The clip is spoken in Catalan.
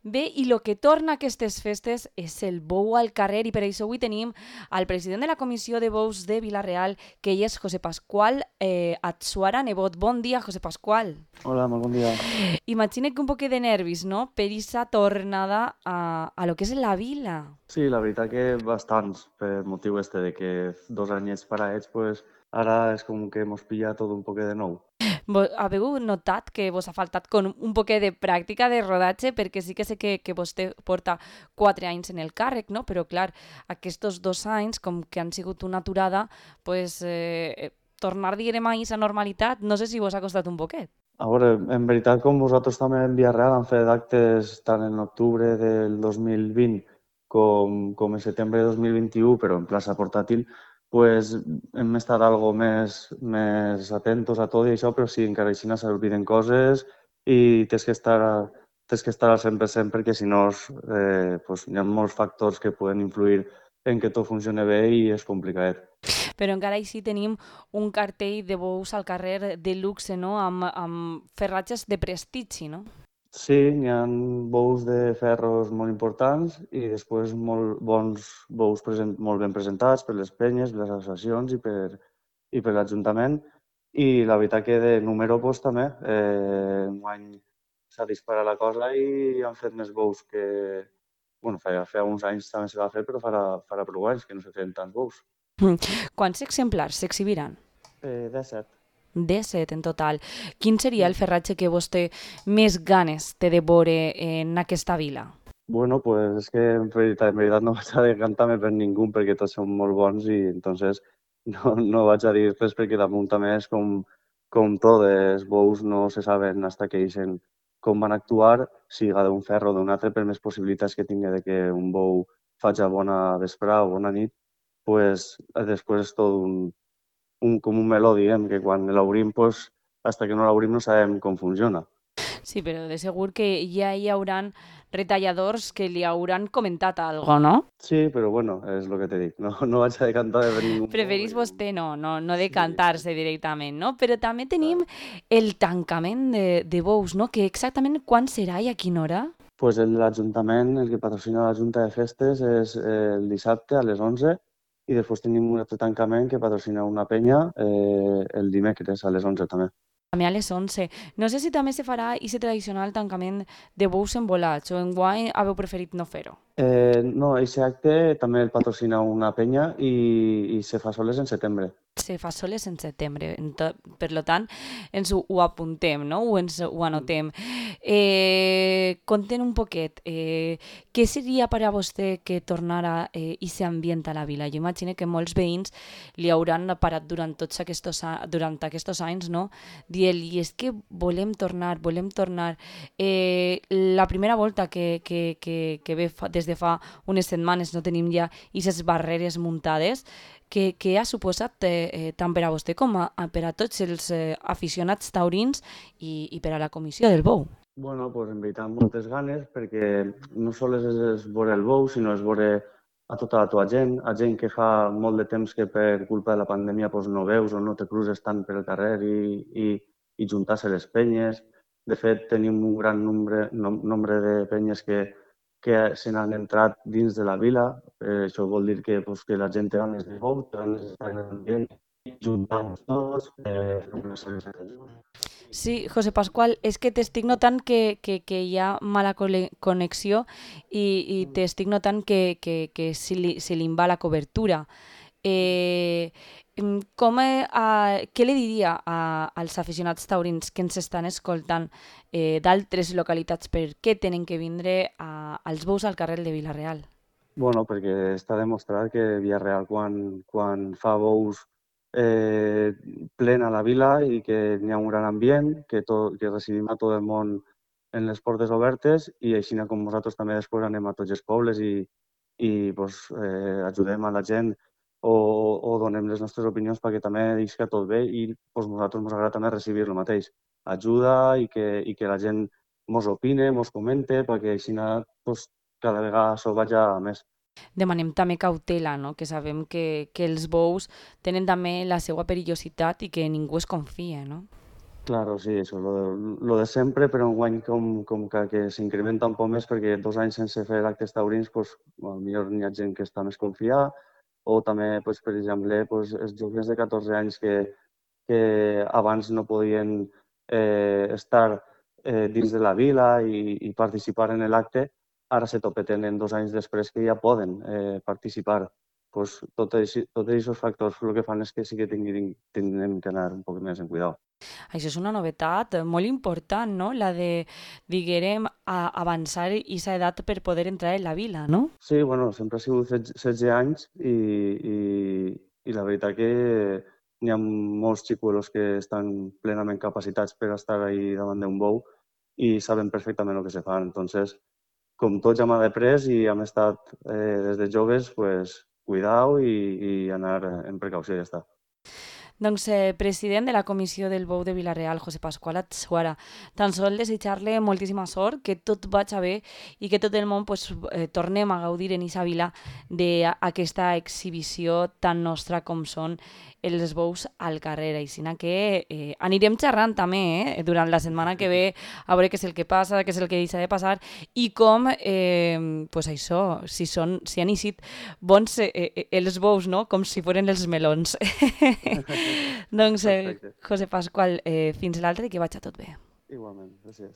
Bé, i el que torna a aquestes festes és el bou al carrer i per això avui tenim al president de la Comissió de Bous de Vila-real, que ell és José Pascual Atsuara Nebot. Bon dia, José Pascual. Hola, molt bon dia. Imagina que un poquet de nervis, no?, per aquesta tornada a lo que és la vila. Sí, la veritat que bastants, per motiu de que 2 anyets paraets, pues, ara és com que mos pilla tot un poquet de nou. Haveu notat que vos ha faltat con un poquet de pràctica de rodatge? Perquè sí que sé que vostè porta 4 anys en el càrrec, no? Però clar, aquests 2 anys, com que han sigut una aturada, pues, tornar, diguem, a aquesta normalitat, no sé si vos ha costat un poquet. A veure, en veritat, com vosaltres també en Vila-real han fet actes tant en octubre del 2020 com en setembre de 2021, però en plaça portàtil, pues, hem estat algo més atentos a tot i això, però sí, encara així s'obliden coses i tens que estar al 100% perquè si no pues, hi ha molts factors que poden influir en que tot funcioni bé i és complicat. Però encara així tenim un cartell de bous al carrer de luxe, no?, amb ferratges de prestigi, no? Sí, n'hi ha bous de ferros molt importants i després molt bons bous molt ben presentats per les penyes, les associacions i per l'Ajuntament. I la veritat que de número pues, també, enguany s'ha disparat la cosa i han fet més bous que... Bueno, feia uns anys també se va fer, però farà prou anys que no se feien tants bous. Quants exemplars s'exhibiran? 17. 17 en total. Quin seria el ferratge que vostè més ganes té de veure en aquesta vila? Bueno, pues és que en veritat no vaig a decantar-me per ningú perquè tots són molt bons i entonces no vaig a dir res perquè damunt també és com tot, els bous no se saben hasta que ixen com van actuar, siga d'un ferro o d'un altre, per més possibilitats que tingui de que un bou faci bona vesprada o bona nit, pues després és tot com un meló, diguem, que quan l'obrim, pues, hasta que no l'obrim no sabem com funciona. Sí, però de segur que ja hi hauran retalladors que li hauran comentat algo, no? Sí, però bueno, és el que t'he dit, no vaig a decantar per ningú bou Preferís perquè com... vostè no Sí, decantar-se directament, no? Però també tenim clar. el tancament de bous, no? Que exactament quan serà i a quina hora? Pues l'Ajuntament, el que patrocina la Junta de Festes és el dissabte a les 11 i després tenim un altre tancament que patrocina una penya el dimecres a les 11 també. També a les 11. No sé si també se farà aquest tradicional tancament de bous envolats o enguany haveu preferit no fer-ho. No, aquest acte també el patrocina una penya i se fa soles en setembre. Se fa soles en setembre, per lo tant ens ho apuntem, no? Ho Mm. anotem. Conten un poquet, què seria per a vostè que tornara aquest ambient a la vila? Jo imagino que molts veïns li hauran parat durant aquests anys, no? Dient-li, és que volem tornar, volem tornar. La primera volta que ve des de fa unes setmanes no tenim ja aquestes barreres muntades, que ha suposat tant per a vostè com per a tots els aficionats taurins i per a la comissió del bou? Bueno, pues en veritat moltes ganes perquè no sols és veure el bou, sinó és veure a tota la teva gent, a gent que fa molt de temps que per culpa de la pandèmia pues, no veus o no te cruces tant per el carrer i juntar-se les penyes. De fet, tenim un gran nombre de penyes que se n'han entrat dins de la vila. Això vol dir que, pues, que la gent té ganes de bou, té ganes d'estar en l'ambient, juntar-nos tots, fer una celebració. Sí, José Pascual, és que t'estic notant que hi ha mala connexió i t'estic notant que se li va la cobertura. Eh, què li diria als aficionats taurins que ens estan escoltant d'altres localitats per què tenen que vindre als bous al carrer de Vila-real? Bueno, perquè està demostrat que Villarreal quan fa bous plena la vila i que n'hi ha un gran ambient, que recibim a tot el món en les portes obertes i així com nosaltres també després anem a tots els pobles i pues, ajudem a la gent o donem les nostres opinions perquè també isca tot bé i pues, nosaltres ens agrada també recibir el mateix. Ajuda i que la gent mos opine, mos comente, perquè així pues, cada vegada s'ho vaja més. Demanem també cautela, no? Que sabem que els bous tenen també la seva perillositat i que ningú es confia, no? Claro, sí, eso, lo de sempre, però enguany com que s'incrementa un poc més perquè 2 anys sense fer actes taurins, pues, potser n'hi ha gent que està més confiada, o també, pues, per exemple, pues, els joves de 14 anys que abans no podien estar dins de la vila i participar en l'acte, ara se topeten en 2 anys després que ja poden participar. Pues, tots aquests factors el que fan és que sí que tinguem que anar un poc més en cuidado. Això és una novetat molt important, no? La de, diguérem, avançar aquesta edat per poder entrar en la vila, no? Sí, bueno, sempre ha sigut 16 anys i la veritat que n'hi ha molts xicuelos que estan plenament capacitats per estar ahí davant d'un bou i saben perfectament el que se fan. Entonces, com tots ja hem après i hem estat des de joves, pues, cuidao i anar en precaució i ja està. Doncs, president de la Comissió del Bou de Vila-real, José Pasqual Atsuara, tan sol desitjar-li moltíssima sort, que tot vagi bé i que tot el món pues, tornem a gaudir en aquesta vila d'aquesta exhibició tan nostra com són els bous al carrer. Així que anirem xerrant també durant la setmana que ve a veure què és el que passa, què és el que deixa de passar i com, pues això, si han eixit bons els bous, no? Com si foren els melons. Doncs, Perfecte. José Pasqual, fins l'altre i que vagi tot bé. Igualment, gràcies.